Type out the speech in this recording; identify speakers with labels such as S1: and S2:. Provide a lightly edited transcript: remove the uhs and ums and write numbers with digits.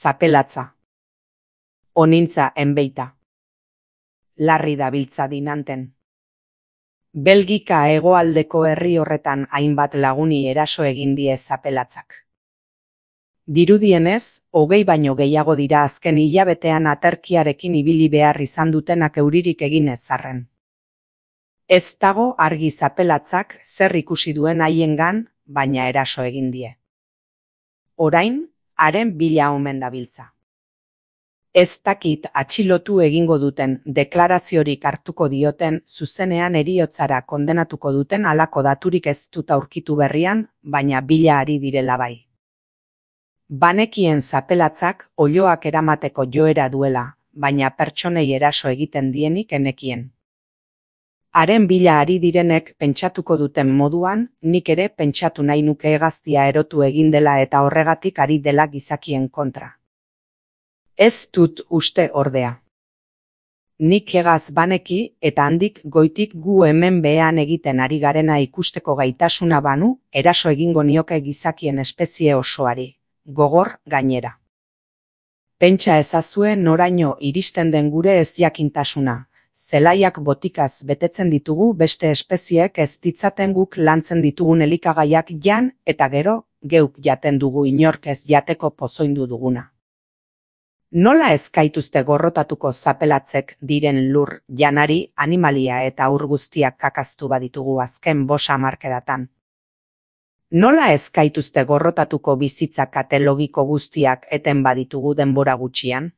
S1: zapelatza. Onintza enbeita. Larri dabiltza dinanten. Belgika hegoaldeko herri horretan hainbat laguni eraso egin die zapelatzak. Dirudienez, 20 baino gehiago dira azken hilabetean aterkiarekin ibili behar izan dutenak euririk egin ezarren. Ez dago argi zapelatzak zer ikusi duen haiengan, baina eraso egin die. Orain, haren bila omen dabiltza. Ez dakit atxilotu egingo duten, deklaraziorik hartuko dioten, zuzenean heriotzara kondenatuko duten halako daturik ez dut aurkitu berrian, baina bila ari direla bai. Banekien zapelatzak oiloak eramateko joera duela, baina pertsonei eraso egiten dienik enekien. Haren bila ari direnek pentsatuko duten moduan, nik ere pentsatu nahi nuke hegaztia erotu egin dela eta horregatik ari dela gizakien kontra. Ez dut uste ordea. Nik hegaz baneki eta handik goitik gu hemen behean egiten ari garena ikusteko gaitasuna banu, eraso egingo nioke gizakien espezie osoari, gogor gainera. Pentsa ezazue noraino iristen den gure ezjakintasuna, zelaiak botikaz betetzen ditugu beste espezieek ez ditzaten guk lantzen ditugun elikagaiak jan eta gero geuk jaten dugu inork ez jateko pozoindu duguna. Nola ez gaituzte gorrotatuko zapelatzek diren lur, janari, animalia eta haur guztiak kakaztu baditugu azken 5 hamarkadatan? Nola ez gaituzte gorrotatuko bizitza kate logiko guztiak eten baditugu denbora gutxian?